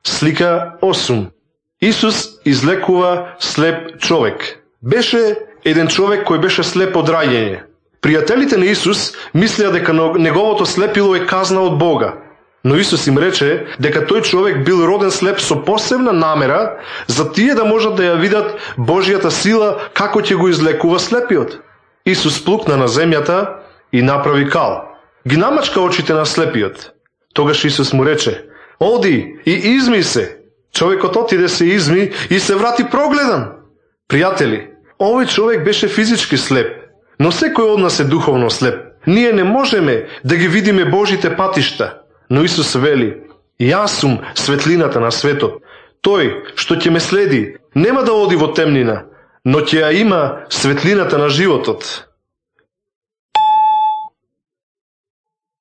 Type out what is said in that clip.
Слика 8. Исус излекува слеп човек. Беше еден човек кој беше слеп од раѓање. Пријателите на Исус мислеа дека неговото слепило е казна од Бога. Но Исус им рече дека тој човек бил роден слеп со посебна намера за тие да можат да ја видат Божјата сила како ќе го излекува слепиот. Исус плукна на земјата и направи кал. Ги намачка очите на слепиот. Тогаш Исус му рече: "Оди и изми се." Човекот отиде се изми и се врати прогледан. Пријатели, овој човек беше физички слеп, но секој од нас е духовно слеп. Ние не можеме да ги видиме Божите патишта, но Исус вели: "Јас сум светлината на светот. Тој што ќе ме следи нема да оди во темнина, но ќе ја има светлината на животот."